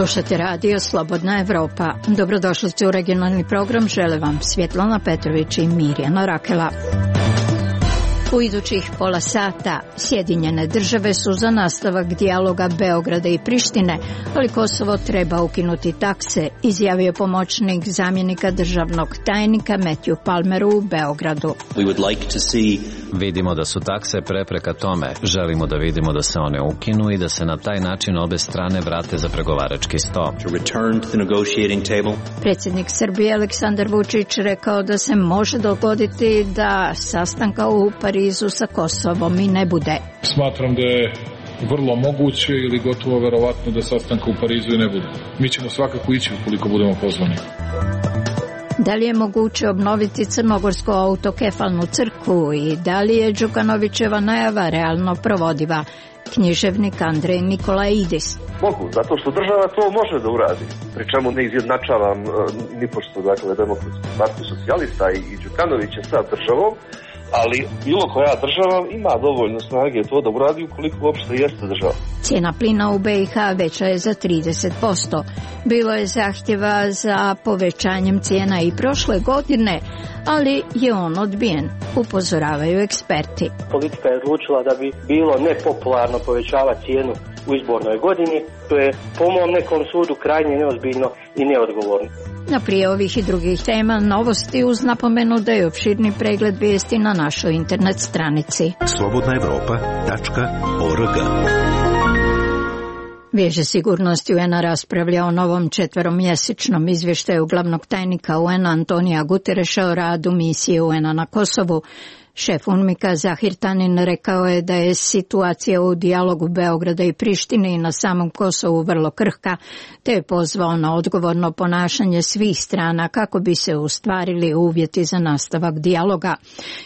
Slušate radio Slobodna Evropa. Dobrodošli u regionalni program. Žele vam Svjetlana Petrović i Mirjana Rakela. U idućih pola sata Sjedinjene države su za nastavak dijaloga Beograda i Prištine, ali Kosovo treba ukinuti takse, izjavio pomoćnik zamjenika državnog tajnika Matthew Palmer u Beogradu. Vidimo da su takse prepreka tome. Želimo da vidimo da se one ukinu i da se na taj način obe strane vrate za pregovarački sto. Predsjednik Srbije Aleksandar Vučić rekao da se može dogoditi da sastanka u Parizu sa Kosovom i ne bude. Smatram da je vrlo moguće ili gotovo verovatno da sastanka u Parizu i ne bude. Mi ćemo svakako ići ukoliko budemo pozvani. Da li je moguće obnoviti crnogorsku autokefalnu crkvu i da li je Đukanovićeva najava realno provodiva? Književnik Andrej Nikolaidis. Mogu, zato što država to može da uradi. Pri čemu ne izjednačavam nipošto, dakle, Demokratsku partiju socijalista i Đukanovića sa državom, ali bilo koja država ima dovoljno snage to da uradi ukoliko uopšte jeste država. Cijena plina u BiH veća je za 30%. Bilo je zahtjeva za povećanjem cijena i prošle godine, ali je on odbijen, upozoravaju eksperti. Politika je odlučila da bi bilo nepopularno povećavati cijenu u izbornoj godini. To je po mom nekom sudu krajnje neozbiljno i neodgovorno. Na prije ovih i drugih tema novosti uz napomenu da je opširni pregled vijesti na našoj internet stranici. slobodnaevropa.org. Vijeće sigurnosti UN-a raspravlja o novom 4-mjesečnom izvještaju glavnog tajnika UN-a Antonija Gutereša o radu misije UN-a na Kosovu. Šef UNMIK-a Zahir Tanin rekao je da je situacija u dijalogu Beograda i Prištine i na samom Kosovu vrlo krhka, te je pozvao na odgovorno ponašanje svih strana kako bi se ostvarili uvjeti za nastavak dijaloga.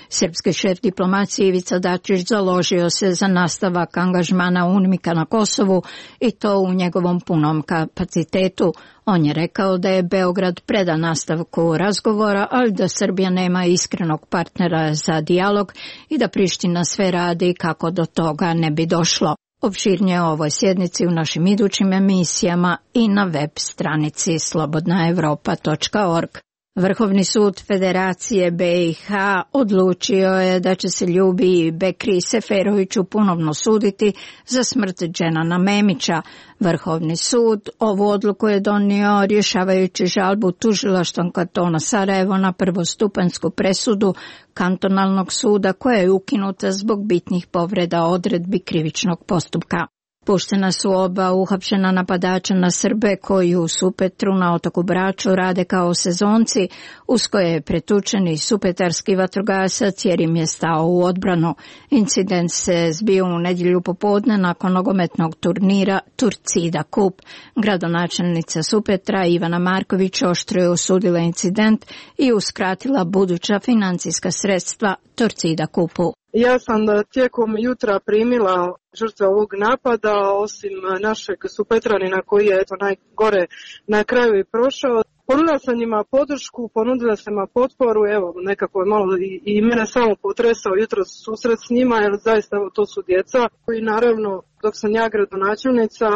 Srpski šef diplomacije Ivica Dačić založio se za nastavak angažmana UNMIK-a na Kosovu i to u njegovom punom kapacitetu. On je rekao da je Beograd predan nastavku razgovora, ali da Srbija nema iskrenog partnera za dijalog i da Priština sve radi kako do toga ne bi došlo. Opširnije o ovoj sjednici u našim idućim emisijama i na web stranici slobodnaevropa.org. Vrhovni sud Federacije BiH odlučio je da će se Ljubi Bekri Seferoviću ponovno suditi za smrt Dženana Memića. Vrhovni sud ovu odluku je donio rješavajući žalbu tužilaštvom kantona Sarajevo na prvostupanjsku presudu kantonalnog suda koja je ukinuta zbog bitnih povreda odredbi krivičnog postupka. Puštena su oba uhapšena napadača na Srbe koji u Supetru na otoku Braču rade kao sezonci, uz koje je pretučen i supetarski vatrogasac jer im je stao u odbranu. Incident se zbio u nedjelju popodne nakon nogometnog turnira Torcida Cup. Gradonačelnica Supetra Ivana Marković oštro je osudila incident i uskratila buduća financijska sredstva Torcida Cupu. Ja sam tijekom jutra primila žrtve ovog napada, osim našeg Supetranina koji je najgore na kraju i prošao. Ponudila sam njima podršku, ponudila sam njima potporu, evo nekako je malo i mene samo potresao jutros susret s njima, jer zaista evo, to su djeca koji naravno dok sam ja gradonačelnica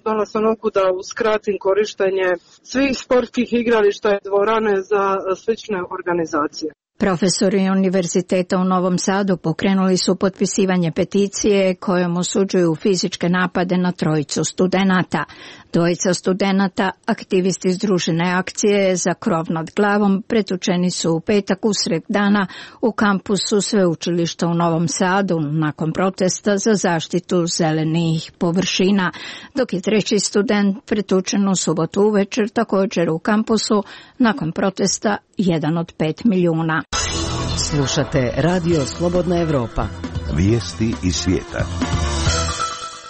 donala sam odluku da uskratim korištenje svih sportskih igrališta i dvorane za slične organizacije. Profesori Univerziteta u Novom Sadu pokrenuli su potpisivanje peticije kojom osuđuju fizičke napade na trojicu studenata. Dvojica studenata, aktivisti Združene akcije za krov nad glavom, pretučeni su u petak usred dana u kampusu sveučilišta u Novom Sadu nakon protesta za zaštitu zelenih površina, dok je treći student pretučen u subotu uvečer također u kampusu nakon protesta 1 od 5 milijuna. Slušate Radio Slobodna Evropa. Vijesti iz svijeta.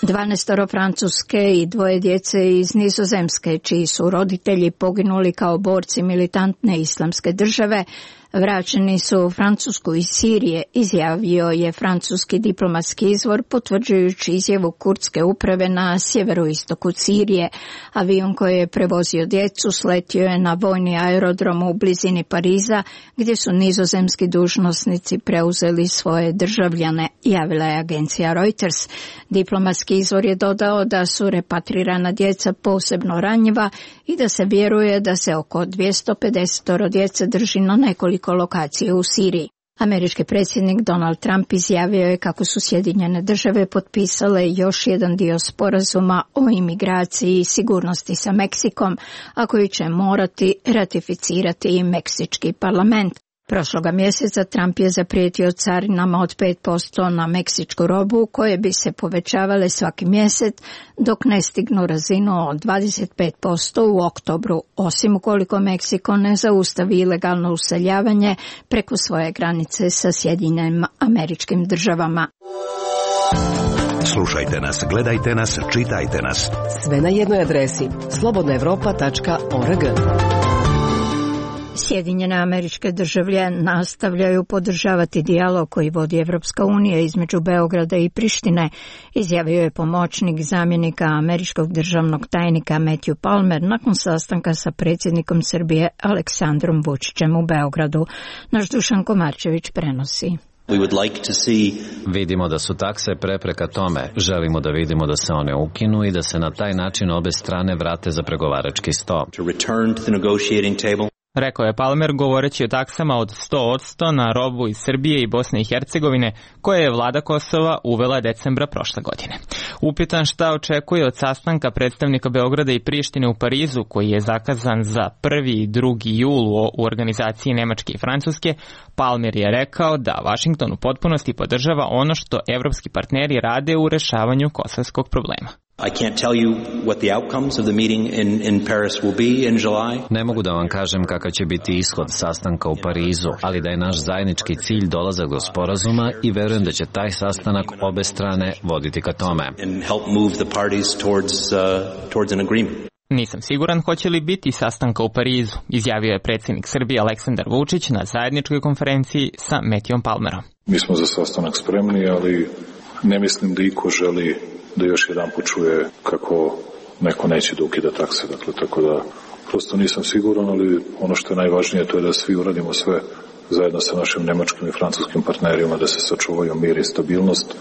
12 Francuske i 2 djece iz Nizozemske, čiji su roditelji poginuli kao borci militantne islamske države, Vraćeni su u Francusku iz Sirije, izjavio je francuski diplomatski izvor potvrđujući izjavu kurdske uprave na sjeveroistoku Sirije. Avion koji je prevozio djecu sletio je na vojni aerodrom u blizini Pariza, gdje su nizozemski dužnosnici preuzeli svoje državljane, javila je agencija Reuters. Diplomatski izvor je dodao da su repatrirana djeca posebno ranjiva i da se vjeruje da se oko 250 djece drži na nekoliko lokacija u Siriji. Američki predsjednik Donald Trump izjavio je kako su Sjedinjene države potpisale još jedan dio sporazuma o imigraciji i sigurnosti sa Meksikom, a koji će morati ratificirati i Meksički parlament. Prošloga mjeseca Trump je zaprijetio carinama od 5% na meksičku robu, koje bi se povećavale svaki mjesec dok ne stignu razinu od 25% u oktobru, osim ukoliko Meksiko ne zaustavi ilegalno useljavanje preko svoje granice sa Sjedinjenim Američkim Državama. Slušajte nas, gledajte nas, čitajte nas. Sve na jednoj adresi slobodnaevropa.org. Sjedinjene Američke Države nastavljaju podržavati dijalog koji vodi Evropska unija između Beograda i Prištine, izjavio je pomoćnik zamjenika američkog državnog tajnika Matthew Palmer nakon sastanka sa predsjednikom Srbije Aleksandrom Vučićem u Beogradu. Naš Dušan Komarčević prenosi. Vidimo da su takse prepreka tome. Želimo da vidimo da se one ukinu i da se na taj način obe strane vrate za pregovarački sto. Rekao je Palmer govoreći o taksama od 100% na robu iz Srbije i Bosne i Hercegovine koje je vlada Kosova uvela decembra prošle godine. Upitan šta očekuje od sastanka predstavnika Beograda i Prištine u Parizu koji je zakazan za 1. i 2. jul u organizaciji Nemačke i Francuske, Palmer je rekao da Washington u potpunosti podržava ono što evropski partneri rade u rešavanju kosovskog problema. Ne mogu da vam kažem kakav će biti ishod sastanka u Parizu, ali da je naš zajednički cilj dolazak do sporazuma i verujem da će taj sastanak obe strane voditi ka tome. Nisam siguran hoće li biti sastanka u Parizu, izjavio je predsjednik Srbije Aleksandar Vučić na zajedničkoj konferenciji sa Matthewom Palmerom. Mi smo za sastanak spremni, ali ne mislim da iko želi da još jedan počuje kako neko neće da ukida takse. Dakle, tako da prosto nisam siguran, ali ono što je najvažnije to je da svi uradimo sve zajedno sa našim nemačkim i francuskim partnerima da se sačuvaju mir i stabilnost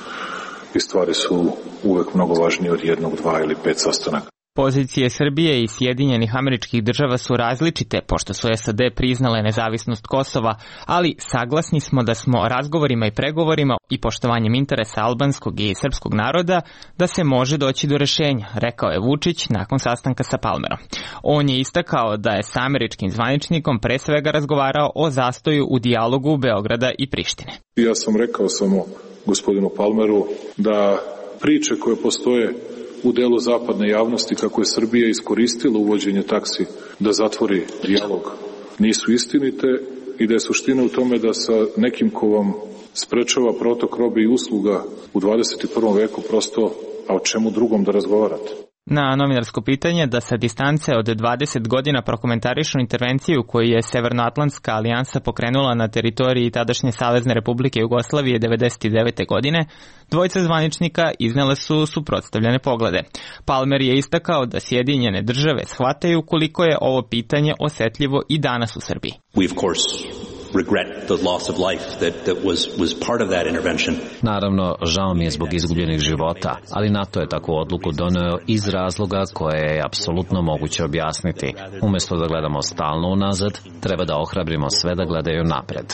i stvari su uvek mnogo važnije od 1, 2 ili 5 sastanaka. Pozicije Srbije i Sjedinjenih Američkih Država su različite, pošto su SAD priznale nezavisnost Kosova, ali saglasni smo da smo razgovorima i pregovorima i poštovanjem interesa albanskog i srpskog naroda da se može doći do rešenja, rekao je Vučić nakon sastanka sa Palmerom. On je istakao da je sa američkim zvaničnikom pre svega razgovarao o zastoju u dijalogu Beograda i Prištine. Ja sam rekao samo gospodinu Palmeru da priče koje postoje u delu zapadne javnosti kako je Srbija iskoristila uvođenje taksi da zatvori dijalog nisu istinite i da je suština u tome da sa nekim ko vam sprečava protok robe i usluga u 21. veku prosto, a o čemu drugom da razgovarate. Na novinarsko pitanje da sa distance od 20 godina prokomentarišu intervenciju koju je Severnoatlantska alijansa pokrenula na teritoriji tadašnje Savezne Republike Jugoslavije 1999. godine, dvojica zvaničnika iznele su suprotstavljene poglede. Palmer je istakao da Sjedinjene Države shvataju koliko je ovo pitanje osetljivo i danas u Srbiji. Naravno, žao mi je zbog izgubljenih života, ali NATO je takvu odluku doneo iz razloga koje je apsolutno moguće objasniti. Umjesto da gledamo stalno unazad, treba da ohrabrimo sve da gledaju napred.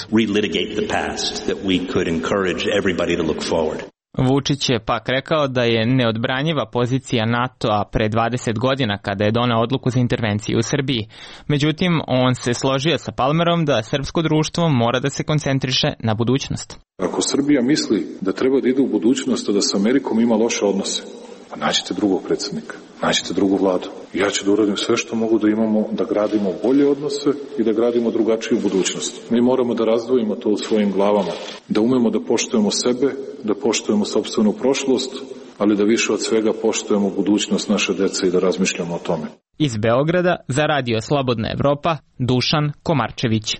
Vučić je pak rekao da je neodbranjiva pozicija NATO-a pre 20 godina kada je doneo odluku za intervenciju u Srbiji. Međutim, on se složio sa Palmerom da srpsko društvo mora da se koncentriše na budućnost. Ako Srbija misli da treba da ide u budućnost, a da sa Amerikom ima loše odnose, pa nađite drugog predsjednika, nađite drugu vladu. Ja ću da uradim sve što mogu da imamo, da gradimo bolje odnose i da gradimo drugačiju budućnost. Mi moramo da razdvojimo to u svojim glavama, da umemo da poštujemo sebe, da poštujemo sopstvenu prošlost, ali da više od svega poštujemo budućnost naše dece i da razmišljamo o tome. Iz Beograda za Radio Slobodna Evropa, Dušan Komarčević.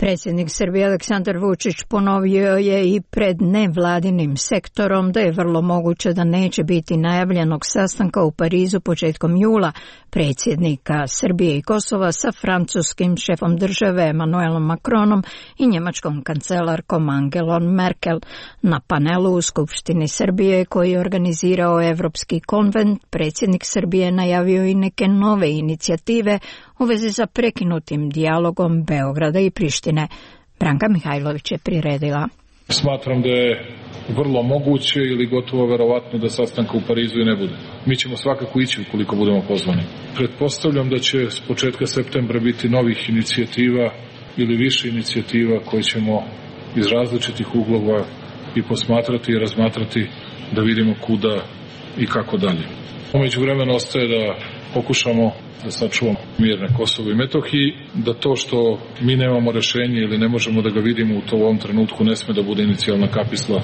Predsjednik Srbije Aleksandar Vučić ponovio je i pred nevladinim sektorom da je vrlo moguće da neće biti najavljenog sastanka u Parizu početkom jula predsjednika Srbije i Kosova sa francuskim šefom države Emmanuelom Macronom i njemačkom kancelarkom Angelom Merkel. Na panelu u Skupštini Srbije koji je organizirao Evropski konvent, predsjednik Srbije najavio i neke nove inicijative u vezi sa prekinutim dijalogom Beograda i Prištine. Branka Mihajlović je priredila. Smatram da je vrlo moguće ili gotovo verovatno da sastanka u Parizu i ne bude. Mi ćemo svakako ići ukoliko budemo pozvani. Pretpostavljam da će s početka septembra biti novih inicijativa ili više inicijativa koje ćemo iz različitih uglova i posmatrati i razmatrati da vidimo kuda i kako dalje. Umeđu vremena ostaje da pokušamo da sačuvamo mir na Kosovu i Metohiji, da to što mi nemamo rešenje ili ne možemo da ga vidimo u ovom trenutku ne sme da bude inicijalna kapisla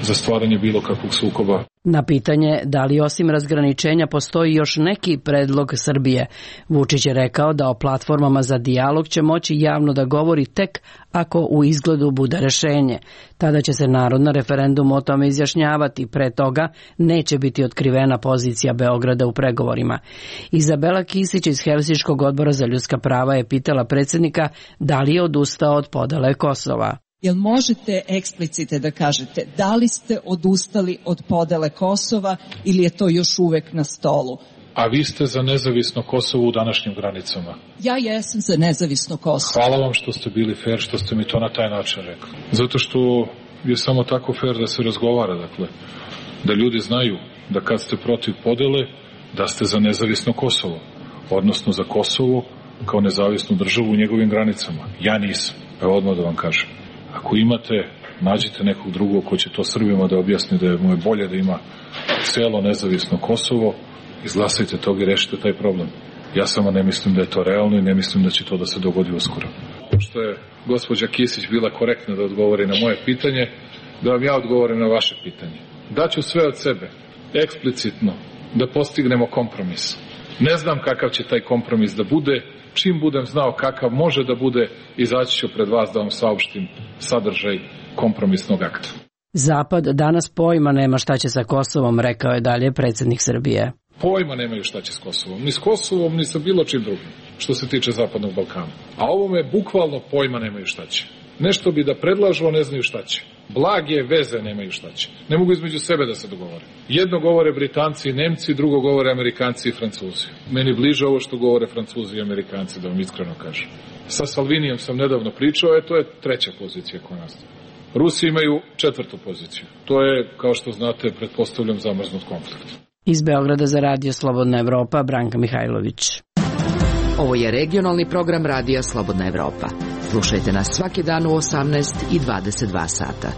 za stvaranje bilo kakvog sukoba. Na pitanje da li osim razgraničenja postoji još neki predlog Srbije, Vučić je rekao da o platformama za dijalog će moći javno da govori tek ako u izgledu bude rešenje. Tada će se narod na referendumu o tome izjašnjavati, pre toga neće biti otkrivena pozicija Beograda u pregovorima. Izabela Kisić iz Helsinškog odbora za ljudska prava je pitala predsjednika da li je odustao od podele Kosova. Jel možete eksplicite da kažete da li ste odustali od podele Kosova ili je to još uvek na stolu? A vi ste za nezavisno Kosovo u današnjim granicama? Ja jesam za nezavisno Kosovo. Hvala vam što ste bili fair, što ste mi to na taj način rekli. Zato što je samo tako fair da se razgovara, dakle, da ljudi znaju da kad ste protiv podele, da ste za nezavisno Kosovo, odnosno za Kosovo kao nezavisnu državu u njegovim granicama. Ja nisam, evo odmah da vam kažem. Ako imate, nađite nekog drugog ko će to Srbima da objasni da mu je bolje da ima celo nezavisno Kosovo, izglasajte tog i rešite taj problem. Ja samo ne mislim da je to realno i ne mislim da će to da se dogodi uskoro. Pošto je gospođa Kisić bila korektna da odgovori na moje pitanje, da vam ja odgovorim na vaše pitanje. Daću sve od sebe, eksplicitno, da postignemo kompromis. Ne znam kakav će taj kompromis da bude. Čim budem znao kakav može da bude, izaći ću pred vas da vam saopštim sadržaj kompromisnog akta. Zapad danas pojma nema šta će sa Kosovom, rekao je dalje predsjednik Srbije. Pojma nemaju šta će s Kosovom. Ni s Kosovom, ni sa bilo čim drugim, što se tiče Zapadnog Balkana. A ovome bukvalno pojma nemaju šta će. Nešto bi da predlažu, a ne znaju šta će. Blage veze nemaju šta će. Ne mogu između sebe da se dogovore. Jedno govore Britanci i Nemci, drugo govore Amerikanci i Francuzi. Meni bliže ovo što govore Francuzi i Amerikanci, da vam iskreno kažem. Sa Salvinijem sam nedavno pričao, to je treća pozicija koja nastaje. Rusi imaju četvrtu poziciju. To je, kao što znate, pretpostavljam zamrznut konflikt. Iz Beograda za Radio Slobodna Evropa, Branka Mihajlović. Ovo je regionalni program Radija Slobodna Evropa. Slušajte nas svaki dan u 18 i 22 sata.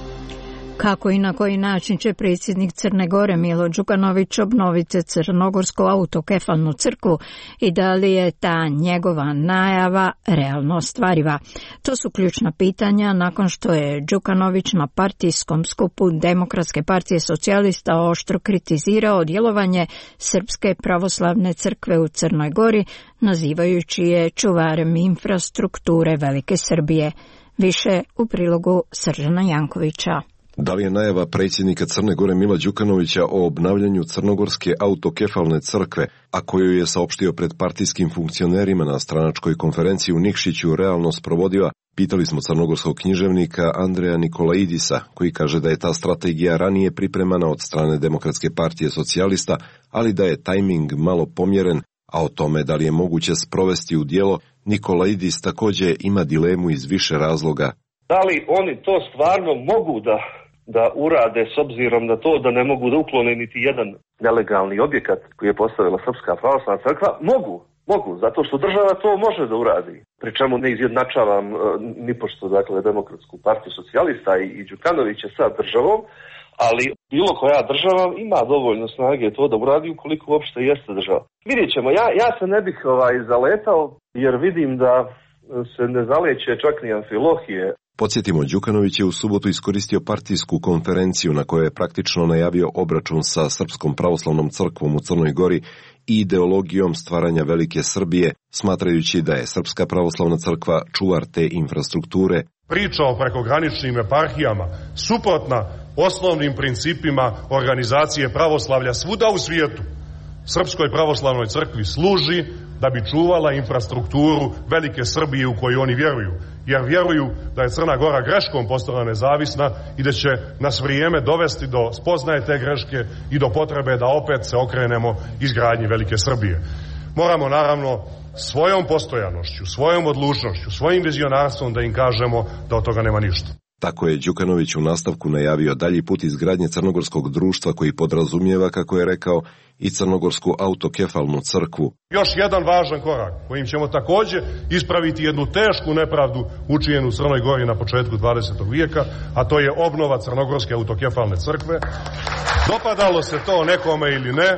Kako i na koji način će predsjednik Crne Gore Milo Đukanović obnoviti crnogorsku autokefalnu crkvu i da li je ta njegova najava realno ostvariva? To su ključna pitanja nakon što je Đukanović na partijskom skupu Demokratske partije socijalista oštro kritizirao djelovanje Srpske pravoslavne crkve u Crnoj Gori, nazivajući je čuvarem infrastrukture Velike Srbije. Više u prilogu Sržana Jankovića. Da li je najava predsjednika Crne Gore Mila Đukanovića o obnavljanju crnogorske autokefalne crkve, a koju je saopštio pred partijskim funkcionerima na stranačkoj konferenciji u Nikšiću, realno sprovodiva, pitali smo crnogorskog književnika Andreja Nikolaidisa, koji kaže da je ta strategija ranije pripremana od strane Demokratske partije socijalista, ali da je tajming malo pomjeren, a o tome da li je moguće sprovesti u djelo, Nikolaidis također ima dilemu iz više razloga. Da li oni to stvarno mogu da urade s obzirom na to da ne mogu da uklone niti jedan nelegalni objekat koji je postavila Srpska pravoslavna crkva? Mogu, zato što država to može da uradi. Pri čemu ne izjednačavam nipošto, dakle, Demokratsku partiju socijalista i Đukanovića sa državom, ali bilo koja država ima dovoljno snage to da uradi ukoliko uopšte jeste država. Vidjet ćemo, ja se ne bih zaletao jer vidim da se ne zaleće čak ni Amfilohije. Podsjetimo, Đukanović je u subotu iskoristio partijsku konferenciju na kojoj je praktično najavio obračun sa Srpskom pravoslavnom crkvom u Crnoj Gori i ideologijom stvaranja Velike Srbije, smatrajući da je Srpska pravoslavna crkva čuvar te infrastrukture. Priča o prekograničnim eparhijama suprotna osnovnim principima organizacije pravoslavlja svuda u svijetu. Srpskoj pravoslavnoj crkvi služi da bi čuvala infrastrukturu Velike Srbije u koju oni vjeruju. Jer vjeruju da je Crna Gora greškom postala nezavisna i da će nas vrijeme dovesti do spoznaje te greške i do potrebe da opet se okrenemo izgradnji Velike Srbije. Moramo naravno svojom postojanošću, svojom odlučnošću, svojim vizionarstvom da im kažemo da od toga nema ništa. Tako je Đukanović u nastavku najavio dalji put izgradnje crnogorskog društva koji podrazumijeva, kako je rekao, i crnogorsku autokefalnu crkvu. Još jedan važan korak kojim ćemo također ispraviti jednu tešku nepravdu učinjenu u Crnoj Gori na početku 20. vijeka, a to je obnova crnogorske autokefalne crkve. Dopadalo se to nekome ili ne,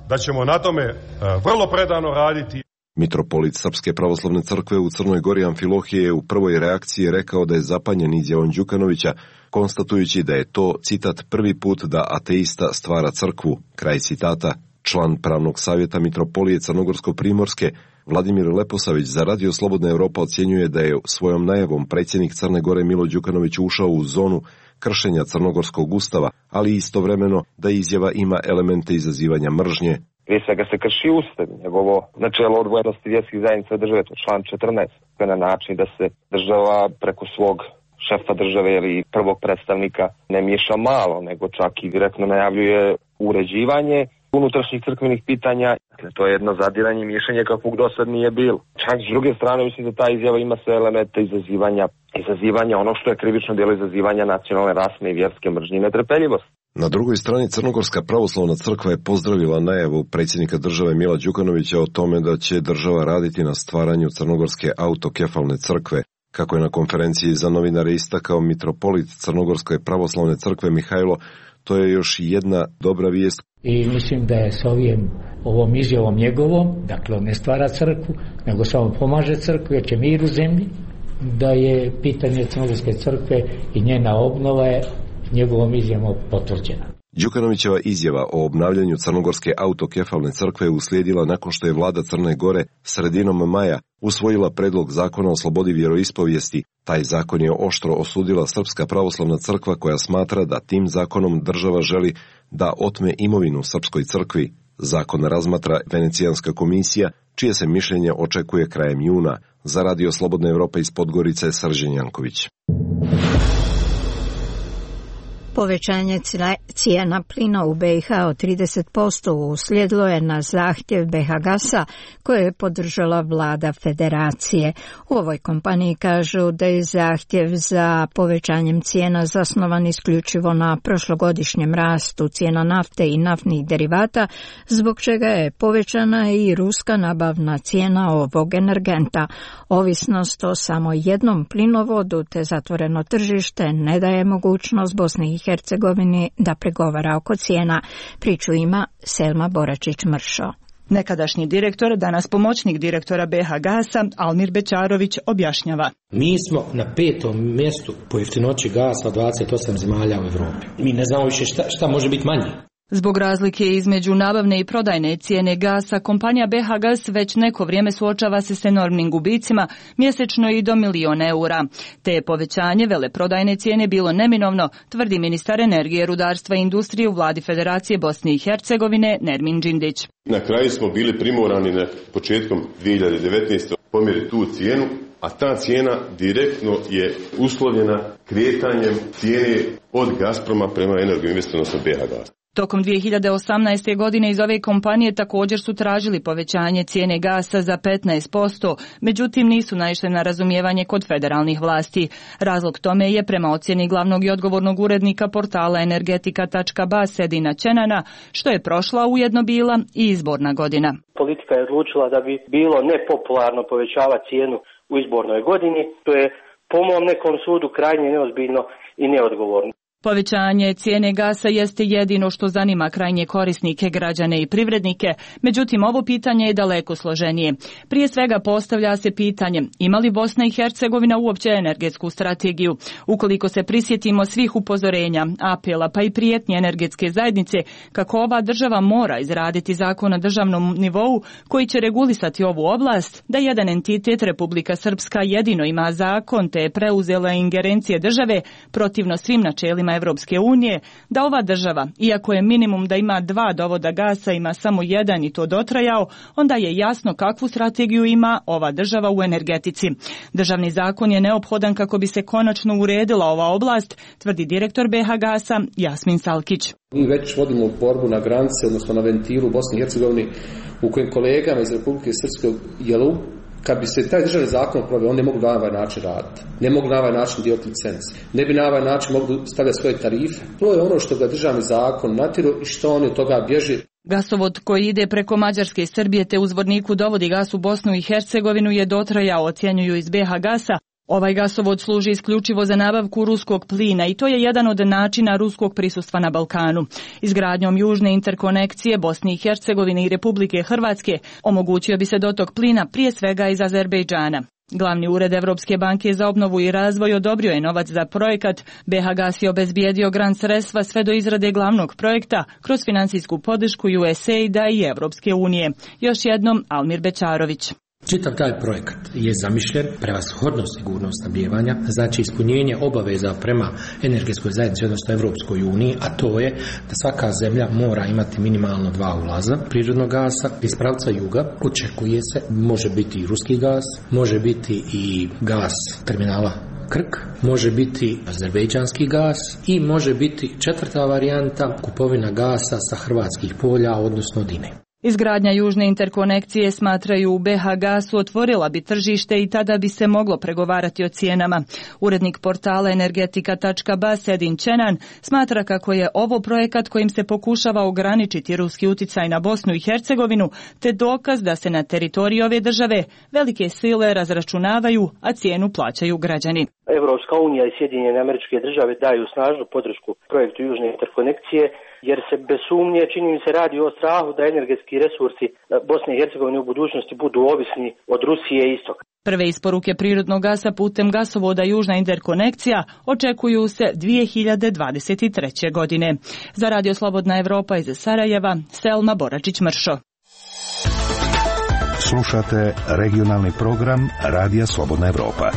da ćemo na tome vrlo predano raditi. Mitropolit Srpske pravoslavne crkve u Crnoj Gori Amfilohije je u prvoj reakciji rekao da je zapanjen izjavom Đukanovića, konstatujući da je to, citat, prvi put da ateista stvara crkvu, kraj citata. Član pravnog savjeta Mitropolije Crnogorsko-Primorske, Vladimir Leposavić, za Radio Slobodna Evropa ocjenjuje da je svojom najavom predsjednik Crne Gore Milo Đukanović ušao u zonu kršenja crnogorskog ustava, ali istovremeno da izjava ima elemente izazivanja mržnje. Prije svega se krši ustav, njegovo načelo odvojenosti vjerskih zajednica države, to član 14, na način da se država preko svog šefa države ili prvog predstavnika ne miješa malo, nego čak i direktno najavljuje uređivanje unutrašnjih crkvenih pitanja. Dakle, to je jedno zadiranje i miješanje kakvog do sad nije bilo. Čak s druge strane, mislim da ta izjava ima sve elemente izazivanja ono što je krivično djelo izazivanja nacionalne, rasne i vjerske mržnje i netrpeljivosti. Na drugoj strani Crnogorska pravoslavna crkva je pozdravila najavu predsjednika države Mila Đukanovića o tome da će država raditi na stvaranju Crnogorske autokefalne crkve. Kako je na konferenciji za novinare istakao mitropolit Crnogorske pravoslavne crkve Mihajlo, to je još jedna dobra vijest. I mislim da je s ovom izjavom njegovom, dakle on ne stvara crkvu, nego samo pomaže crkvu jer će mir u zemlji, da je pitanje Crnogorske crkve i njena obnova je njegovom izjavom potvrđena. Đukanovićeva izjava o obnavljanju Crnogorske autokefalne crkve uslijedila nakon što je vlada Crne Gore sredinom maja usvojila predlog zakona o slobodi vjeroispovijesti. Taj zakon je oštro osudila Srpska pravoslavna crkva koja smatra da tim zakonom država želi da otme imovinu Srpskoj crkvi. Zakon razmatra Venecijanska komisija, čije se mišljenje očekuje krajem juna. Za Radio Slobodna Evropa iz Podgorice, Srđan Janković. Povećanje cijena plina u BiH od 30% uslijedilo je na zahtjev BiH Gasa koje je podržala vlada federacije. U ovoj kompaniji kažu da je zahtjev za povećanjem cijena zasnovan isključivo na prošlogodišnjem rastu cijena nafte i naftnih derivata, zbog čega je povećana i ruska nabavna cijena ovog energenta. Ovisnost o samo jednom plinovodu te zatvoreno tržište ne daje mogućnost Bosni i Hercegovini da pregovara oko cijena. Priču ima Selma Boračić-Mršo. Nekadašnji direktor, danas pomoćnik direktora BiH Gasa, Almir Bećarović, objašnjava. Mi smo na 5. mjestu po jeftinoći gasa od 28 zemalja u Evropi. Mi ne znamo više šta može biti manje. Zbog razlike između nabavne i prodajne cijene gasa, kompanija BiH Gas već neko vrijeme suočava se s enormnim gubicima, mjesečno i do 1.000.000 eura. Te je povećanje veleprodajne cijene bilo neminovno, tvrdi ministar energije, rudarstva i industrije u vladi Federacije Bosne i Hercegovine Nermin Đindić. Na kraju smo bili primorani na početkom 2019. pomjeriti tu cijenu, a ta cijena direktno je uslovljena kretanjem cijene od Gazproma prema Energoinvestu, odnosno BiH Gas. Tokom 2018. godine iz ove kompanije također su tražili povećanje cijene gasa za 15%, međutim nisu naišli na razumijevanje kod federalnih vlasti. Razlog tome je prema ocjeni glavnog i odgovornog urednika portala energetika.ba Sedina Čenana, što je prošla ujedno bila i izborna godina. Politika je odlučila da bi bilo nepopularno povećavati cijenu u izbornoj godini, to je po mom nekom sudu krajnje neozbiljno i neodgovorno. Povećanje cijene gasa jeste jedino što zanima krajnje korisnike, građane i privrednike, međutim ovo pitanje je daleko složenije. Prije svega postavlja se pitanje ima li Bosna i Hercegovina uopće energetsku strategiju? Ukoliko se prisjetimo svih upozorenja, apela pa i prijetnje energetske zajednice kako ova država mora izraditi zakon na državnom nivou koji će regulisati ovu oblast, da jedan entitet Republika Srpska jedino ima zakon te je preuzela ingerencije države protivno svim načelima Evropske unije, da ova država, iako je minimum da ima 2 dovoda gasa, ima samo 1 i to dotrajao, onda je jasno kakvu strategiju ima ova država u energetici. Državni zakon je neophodan kako bi se konačno uredila ova oblast, tvrdi direktor BH Gasa Jasmin Salkić. Mi već vodimo borbu na granici, odnosno na ventilu u Bosni i Hercegovini, u kojim kolegama iz Republike Srpske jelu, kad bi se taj državni zakon proveo, on ne mogu na ovaj način raditi. Ne mogu na ovaj način dijeliti licence. Ne bi na ovaj način mogli stavljati svoje tarife. To je ono što ga državni zakon natiru i što oni od toga bježi. Gasovod koji ide preko Mađarske i Srbije te uzvodniku dovodi gas u Bosnu i Hercegovinu je dotrajao, ocjenjuju iz BH Gasa. Ovaj gasovod služi isključivo za nabavku ruskog plina i to je jedan od načina ruskog prisustva na Balkanu. Izgradnjom južne interkonekcije Bosne i Hercegovine i Republike Hrvatske omogućio bi se dotok plina prije svega iz Azerbejdžana. Glavni ured Evropske banke za obnovu i razvoj odobrio je novac za projekat. BH Gas je obezbijedio grant sredstva sve do izrade glavnog projekta kroz financijsku podršku USAID-a i Evropske unije. Još jednom Almir Bećarović. Čitav taj projekat je zamišljen prevashodno sigurnost snabdijevanja, znači ispunjenje obaveza prema energetskoj zajednici, odnosno Evropskoj uniji, a to je da svaka zemlja mora imati minimalno 2 ulaza prirodnog gasa. Iz pravca juga očekuje se, može biti i ruski gas, može biti i gas terminala Krk, može biti azerbejdžanski gas i može biti 4. varijanta kupovina gasa sa hrvatskih polja, odnosno Dine. Izgradnja južne interkonekcije, smatraju u BH Gasu, otvorila bi tržište i tada bi se moglo pregovarati o cijenama. Urednik portala energetika.ba Edin Čenan smatra kako je ovo projekat kojim se pokušava ograničiti ruski uticaj na Bosnu i Hercegovinu, te dokaz da se na teritoriji ove države velike sile razračunavaju, a cijenu plaćaju građani. Evropska unija i Sjedinjene Američke Države daju snažnu podršku projektu južne interkonekcije, jer se bez sumnje, čini mi se, radi o strahu da energetski resursi Bosne i Hercegovine u budućnosti budu ovisni od Rusije i istoka. Prve isporuke prirodnog gasa putem gasovoda Južna interkonekcija očekuju se 2023. godine. Za Radio Slobodna Evropa iz Sarajeva, Selma Boračić-Mršo. Slušate regionalni program Radija Slobodna Evropa.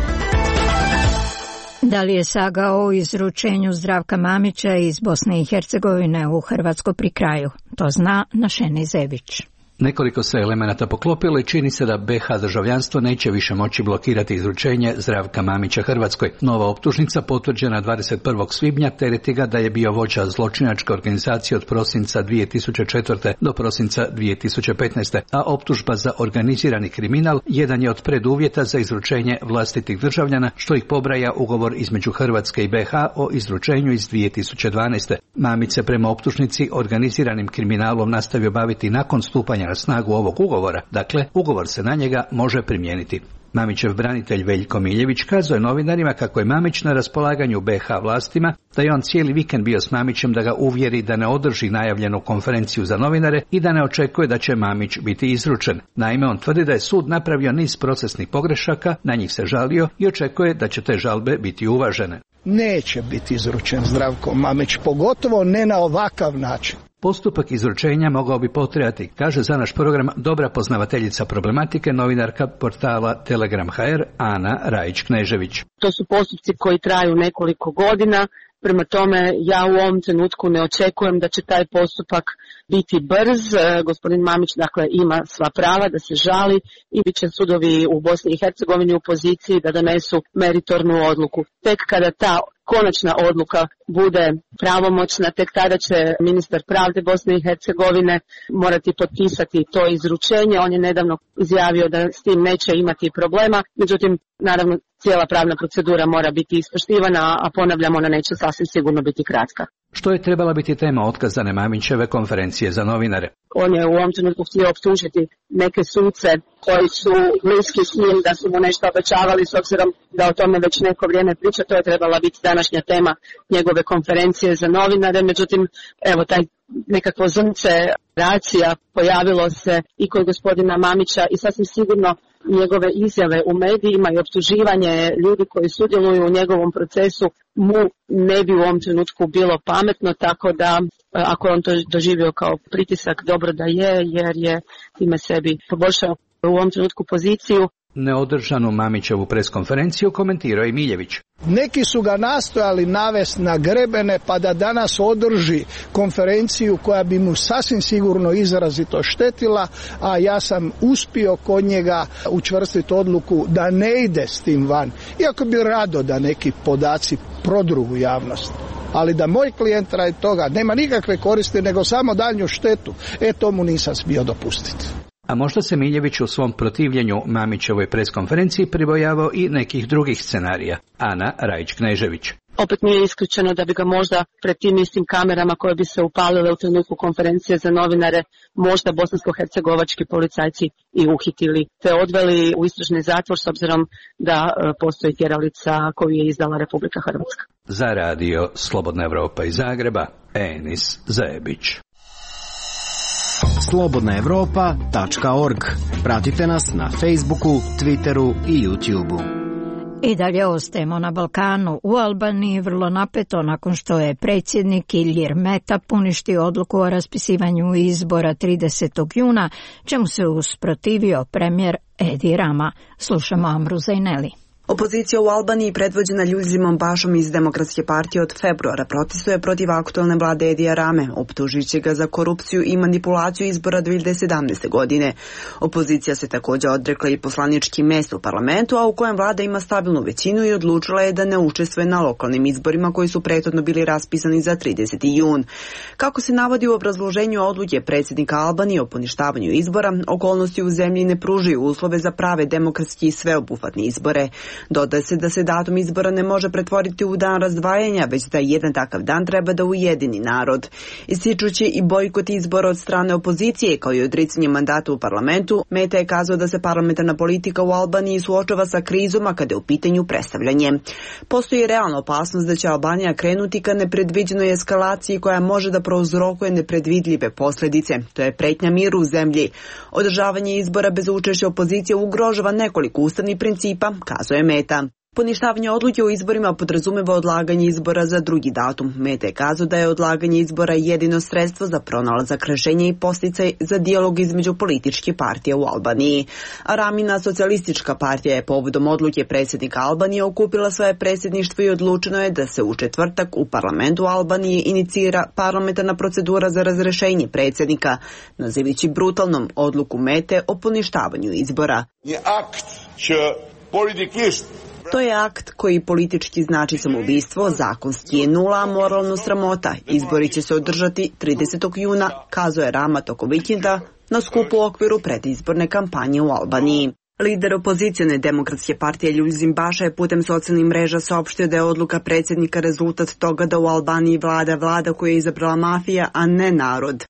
Da li je saga o izručenju Zdravka Mamića iz Bosne i Hercegovine u Hrvatskoj pri kraju? To zna Našeni Zebić. Nekoliko se elemenata poklopilo i čini se da BH državljanstvo neće više moći blokirati izručenje Zdravka Mamića Hrvatskoj. Nova optužnica potvrđena 21. svibnja tereti ga da je bio vođa zločinačke organizacije od prosinca 2004. do prosinca 2015. A optužba za organizirani kriminal jedan je od preduvjeta za izručenje vlastitih državljana, što ih pobraja ugovor između Hrvatske i BH o izručenju iz 2012. Mamić se prema optužnici organiziranim kriminalom nastavio baviti nakon stupanja na snagu ovog ugovora, dakle, ugovor se na njega može primijeniti. Mamićev branitelj Veljko Miljević kazao je novinarima kako je Mamić na raspolaganju BH vlastima, da je on cijeli vikend bio s Mamićem da ga uvjeri da ne održi najavljenu konferenciju za novinare i da ne očekuje da će Mamić biti izručen. Naime, on tvrdi da je sud napravio niz procesnih pogrešaka, na njih se žalio i očekuje da će te žalbe biti uvažene. Neće biti izručen Zdravko Mamić, pogotovo ne na ovakav način. Postupak izručenja mogao bi potrajati, kaže za naš program dobra poznavateljica problematike, novinarka portala Telegram.hr Ana Rajić-Knežević. To su postupci koji traju nekoliko godina, prema tome ja u ovom trenutku ne očekujem da će taj postupak biti brz. Gospodin Mamić dakle ima sva prava da se žali i bit će sudovi u Bosni i Hercegovini u poziciji da donesu meritornu odluku. Tek kada ta konačna odluka bude pravomoćna, tek tada će ministar pravde Bosne i Hercegovine morati potpisati to izručenje. On je nedavno izjavio da s tim neće imati problema, međutim, naravno, cijela pravna procedura mora biti ispoštivana, a ponavljamo, ona neće sasvim sigurno biti kratka. što je trebala biti tema otkazane Mamićeve konferencije za novinare. On je u ovom trenutku htio optužiti neke suce koji su bliski s njim da su mu nešto obećavali, s obzirom da o tome već neko vrijeme priča. To je trebala biti današnja tema njegove konferencije za novinare. Međutim, evo taj nekakvo zrnce racija pojavilo se i kod gospodina Mamića i sasvim sigurno njegove izjave u medijima i optuživanje ljudi koji sudjeluju u njegovom procesu mu ne bi u ovom trenutku bilo pametno, tako da ako on to doživio kao pritisak, dobro da je, jer je time sebi poboljšao u ovom trenutku poziciju. Neodržanu Mamićevu preskonferenciju komentirao i Miljević. Neki su ga nastojali navesti na grebene pa da danas održi konferenciju koja bi mu sasvim sigurno izrazito štetila, a ja sam uspio kod njega učvrstiti odluku da ne ide s tim van. Iako bi rado da neki podaci prodru u javnost. Ali da moj klijent radi toga nema nikakve koristi nego samo daljnju štetu, to mu nisam smio dopustiti. A možda se Miljević u svom protivljenju Mamićevoj preskonferenciji pribojavao i nekih drugih scenarija. Ana Rajić-Knežević. Opet nije isključeno da bi ga možda pred tim istim kamerama koje bi se upalile u trenutku konferencije za novinare možda bosansko-hercegovački policajci i uhitili te odveli u istražni zatvor s obzirom da postoji tjeralica koju je izdala Republika Hrvatska. Za radio Slobodna Evropa iz Zagreba, Enis Zajebić. slobodnaevropa.org. Pratite nas na Facebooku, Twitteru i YouTubeu. I dalje ostajemo na Balkanu. U Albaniji vrlo napeto nakon što je predsjednik Ilir Meta poništio odluku o raspisivanju izbora 30. juna, čemu se usprotivio premijer Edi Rama. Slušamo Amru Zajneli. Opozicija u Albaniji, predvođena Ljuljzimom Bašom iz Demokratske partije, od februara protestuje protiv aktualne vlade Edija Rame, optužujući ga za korupciju i manipulaciju izbora 2017. godine. Opozicija se također odrekla i poslanički mjesto u parlamentu, a u kojem vlada ima stabilnu većinu i odlučila je da ne učestvuje na lokalnim izborima koji su prethodno bili raspisani za 30. jun. Kako se navodi u obrazloženju odluke predsjednika Albanije o poništavanju izbora, okolnosti u zemlji ne pružaju uslove za prave demokratski i sveobuhvatne izbore. Dodaje se da se datum izbora ne može pretvoriti u dan razdvajanja, već da jedan takav dan treba da ujedini narod. Ističući i bojkot izbora od strane opozicije, kao i odricanje mandata u parlamentu, Meta je kazao da se parlamentarna politika u Albaniji suočava sa krizom, a kada je u pitanju predstavljanje. Postoji realna opasnost da će Albanija krenuti ka nepredviđenoj eskalaciji koja može da prouzrokuje nepredvidljive posljedice. To je pretnja miru u zemlji. Održavanje izbora bez učešća opozicije ugrožava nekoliko ustavnih principa, kazuje Meta. Poništavanje odluke o izborima podrazumeva odlaganje izbora za drugi datum. Meta je kazao da je odlaganje izbora jedino sredstvo za pronalazak rješenja i podsticaj za dijalog između političkih partija u Albaniji. Ramina socijalistička partija je povodom odluke predsjednika Albanije okupila svoje predsjedništvo i odlučeno je da se u četvrtak u parlamentu Albanije inicira parlamentarna procedura za razrješenje predsjednika, nazivajući brutalnom odluku Mete o poništavanju izbora. To je akt koji politički znači samoubistvo, zakonski je nula, a moralno sramota. Izbori će se održati 30. juna, kazuje Rama tokom vikenda na skupu u okviru predizborne kampanje u Albaniji. Lider opozicione Demokratske partije Ljuljzim Baša je putem socijalnih mreža saopštio da je odluka predsjednika rezultat toga da u Albaniji vlada koju je izabrala mafija, a ne narod.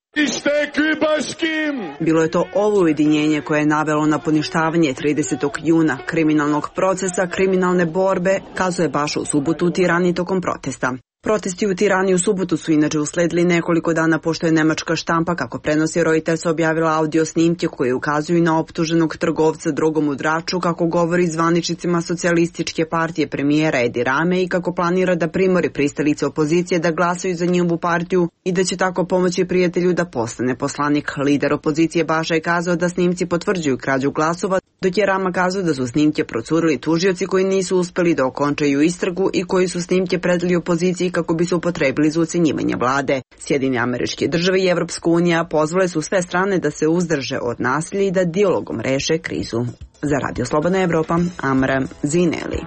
Bilo je to ovo ujedinjenje koje je navelo na poništavanje 30. juna kriminalnog procesa, kriminalne borbe, kazuje Baša u subotu u Tirani tokom protesta. Protesti u Tirani u subotu su inače usledili nekoliko dana pošto je nemačka štampa, kako prenosi Reuters, objavila audio snimke koje ukazuju na optuženog trgovca drogom u Draču, kako govori zvaničnicima socijalističke partije premijera Edi Rame i kako planira da primori pristalice opozicije da glasaju za njihovu partiju i da će tako pomoći prijatelju da postane poslanik. Lider opozicije Baša je kazao da snimci potvrđuju krađu glasova, dok je Rama kazao da su snimke procurili tužioci koji nisu uspeli da okončaju istragu i koji su snimke predali opoziciji kako bi se upotrebili za ucenjivanje vlade. Sjedinjene Američke Države i Evropska unija pozvale su sve strane da se uzdrže od nasilja i da dijalogom reše krizu. Za Radio Slobodna Evropa, Amra Zineli.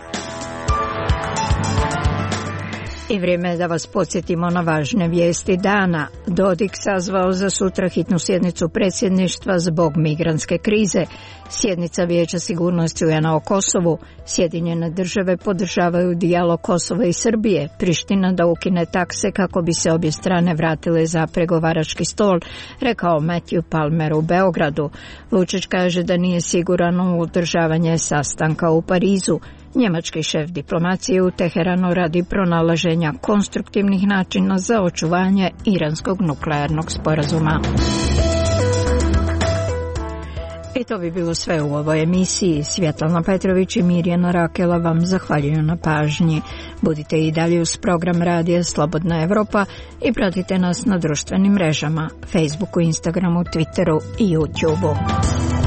I vrijeme je da vas podsjetimo na važne vijesti dana. Dodik sazvao za sutra hitnu sjednicu predsjedništva zbog migrantske krize. Sjednica Vijeća sigurnosti UN-a o Kosovu. Sjedinjene države podržavaju dijalog Kosova i Srbije. Priština da ukine takse kako bi se obje strane vratile za pregovarački stol, rekao Matthew Palmer u Beogradu. Vučić kaže da nije siguran u održavanje sastanka u Parizu. Njemački šef diplomacije u Teheranu radi pronalaženja konstruktivnih načina za očuvanje iranskog nuklearnog sporazuma. I to bi bilo sve u ovoj emisiji. Svjetlana Petrović i Mirjana Rakela vam zahvaljuju na pažnji. Budite i dalje uz program Radija Slobodna Evropa i pratite nas na društvenim mrežama, Facebooku, Instagramu, Twitteru i YouTubeu.